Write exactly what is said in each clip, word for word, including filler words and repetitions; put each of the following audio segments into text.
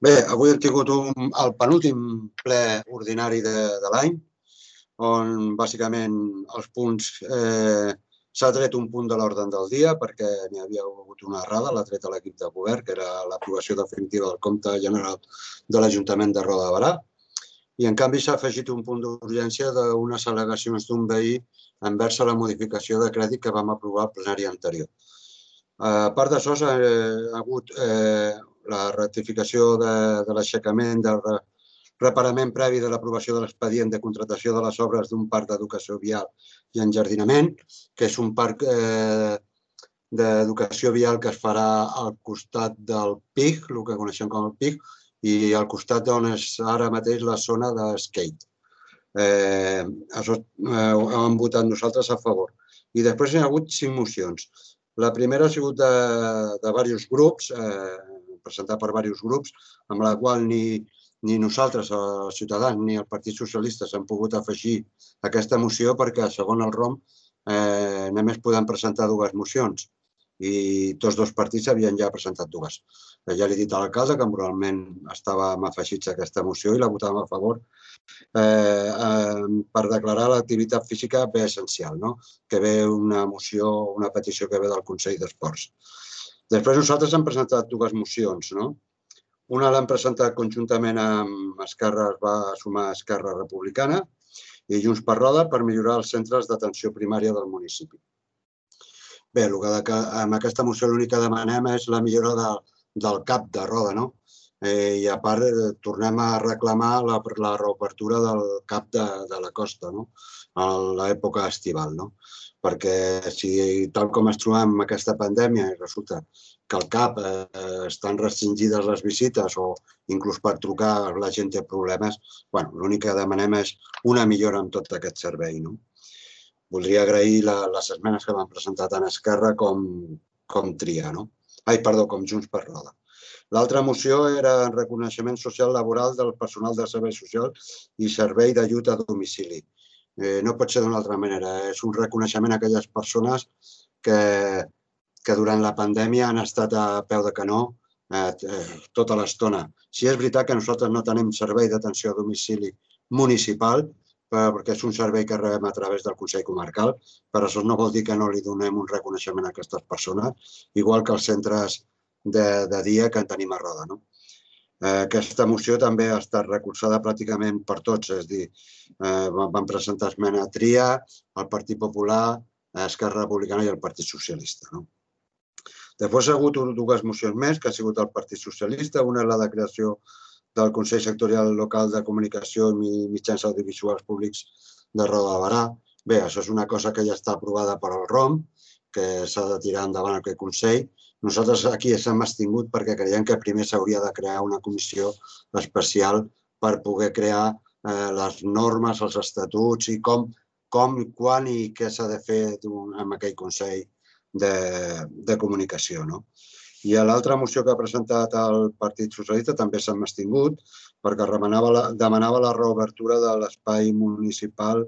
Bé, avui hem tingut un, el penúltim ple ordinari de, de l'any, on bàsicament els punts eh, s'ha tret un punt de l'ordre del dia perquè n'hi havia hagut una errada, l'ha tret a l'equip de govern, que era l'aprovació definitiva del compte general de l'Ajuntament de Roda de Berà, i en canvi s'ha afegit un punt d'urgència d'unes al·legacions d'un veí envers la modificació de crèdit que vam aprovar al plenari anterior. A part d'això, s'ha hagut eh, la ratificació de, de l'aixecament del reparament previ de l'aprovació de l'expedient de contratació de les obres d'un parc d'educació vial i enjardinament, que és un parc eh, d'educació vial que es farà al costat del P I G, el que coneixem com el P I G, i al costat d'on és ara mateix la zona de skate. Eh, això eh, ho hem votat nosaltres a favor. I després hi ha hagut cinc mocions. La primera ha sigut de, de diversos grups, eh, presentat per diversos grups, amb la qual ni, ni nosaltres, els Ciutadans, ni el Partit Socialista s'han pogut afegir a aquesta moció perquè, segons el R O M, eh, només podem presentar dues mocions i tots dos partits havien ja presentat dues. Ja li he dit a l'alcalde que moralment estàvem afegits a aquesta moció i la votàvem a favor eh, eh, per declarar l'activitat física bé essencial, no? Que ve una moció, una petició que ve del Consell d'Esports. Després nosaltres hem presentat dues mocions, no? Una l'hem presentat conjuntament amb Esquerra, es va sumar Esquerra Republicana i Junts per Roda per millorar els centres d'atenció primària del municipi. Bé, amb aquesta moció l'únic que demanem és la millora de, del CAP de Roda, no? Eh, I a part tornem a reclamar la, la reobertura del CAP de, de la costa, no? A l'època estival, no? Perquè si tal com es trobem amb aquesta pandèmia i resulta que al CAP eh, estan restringides les visites o inclús per trucar la gent té problemes, bueno, l'únic que demanem és una millora en tot aquest servei, no? Voldria agrair la, les esmenes que m'han presentat en Esquerra com, com tria, no? Ai, perdó, com Junts per Roda. L'altra moció era el reconeixement social laboral del personal de servei social i servei d'ajut a domicili. Eh, no pot ser d'una altra manera. És un reconeixement a aquelles persones que, que durant la pandèmia han estat a peu de canó eh, tota l'estona. Sí, és veritat que nosaltres no tenim servei d'atenció a domicili municipal, perquè és un servei que rebem a través del Consell Comarcal, però això no vol dir que no li donem un reconeixement a aquestes persones, igual que els centres de, de dia que en tenim a Roda, no? Eh, aquesta moció també ha estat recolzada pràcticament per tots, és a dir, eh, van presentar esmena a Tria, el Partit Popular, Esquerra Republicana i el Partit Socialista, no? Després ha hagut dues mocions més, que ha sigut el Partit Socialista, una és la de creació del Consell Sectorial Local de Comunicació i Mitjans Audiovisuals Públics de Roda de Berà. Bé, això és una cosa que ja està aprovada per al R O M, que s'ha de tirar endavant aquest Consell. Nosaltres aquí s'hem abstingut perquè creiem que primer s'hauria de crear una comissió especial per poder crear eh, les normes, els estatuts i com, com quan i què s'ha de fer amb aquell Consell de, de Comunicació, no? I l'altra moció que ha presentat el Partit Socialista també s'ha abstingut perquè demanava la, demanava la reobertura de l'espai municipal,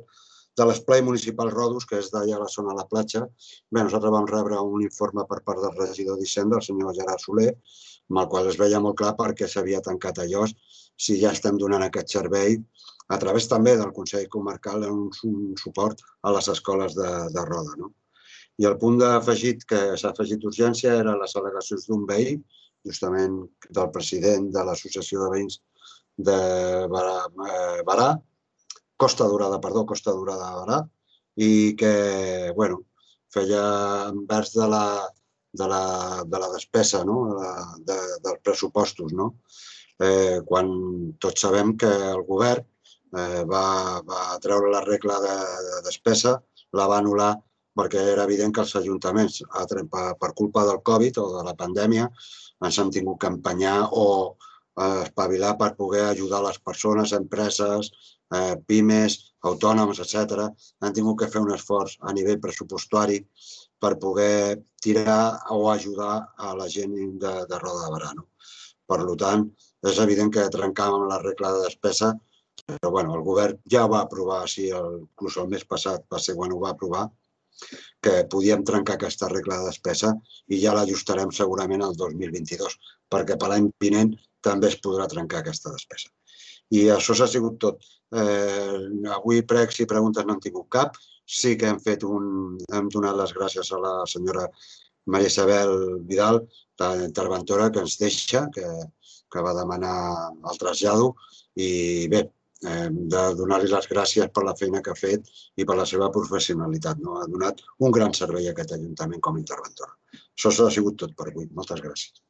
de l'esplai municipal Rodos, que és d'allà a la zona de la platja. Bé, nosaltres vam rebre un informe per part del regidor d'Hisenda, el senyor Gerard Soler, amb el qual es veia molt clar perquè s'havia tancat allò, si ja estem donant aquest servei a través també del Consell Comarcal un, un suport a les escoles de, de Roda, no? I el punt afegit que s'ha afegit d'urgència eren les al·legacions d'un veí, justament del president de l'Associació de Veïns de Berà, Berà, Costa Dorada, perdó, Costa Dorada de Berà, i que, bueno, feia envers de la, de la, de la despesa, no? de, dels pressupostos, no? Eh, quan tots sabem que el govern eh, va, va treure la regla de, de despesa, la va anul·lar perquè era evident que els ajuntaments, per culpa del Covid o de la pandèmia, ens han tingut que empenyar o espavilar per poder ajudar les persones, empreses, pimes, autònoms, etcètera. Han tingut que fer un esforç a nivell pressupostari per poder tirar o ajudar a la gent de, de Roda de Berà, no? Per tant, és evident que trencàvem la regla de despesa, però bueno, el govern ja ho va aprovar, sí, inclús el mes passat va ser quan ho va aprovar, que podíem trencar aquesta regla de despesa i ja l'ajustarem segurament al dos mil vint-i-dos, perquè per l'any vinent també es podrà trencar aquesta despesa. I això s'ha sigut tot. Avui pregs i preguntes no han tingut cap. Sí que hem fet un... hem donat les gràcies a la senyora Maria Isabel Vidal, la interventora, que ens deixa, que va demanar el trasllado. I bé, hem de donar-li les gràcies per la feina que ha fet i per la seva professionalitat. Ha donat un gran servei a aquest Ajuntament com a interventora. Això ha sigut tot per avui. Moltes gràcies.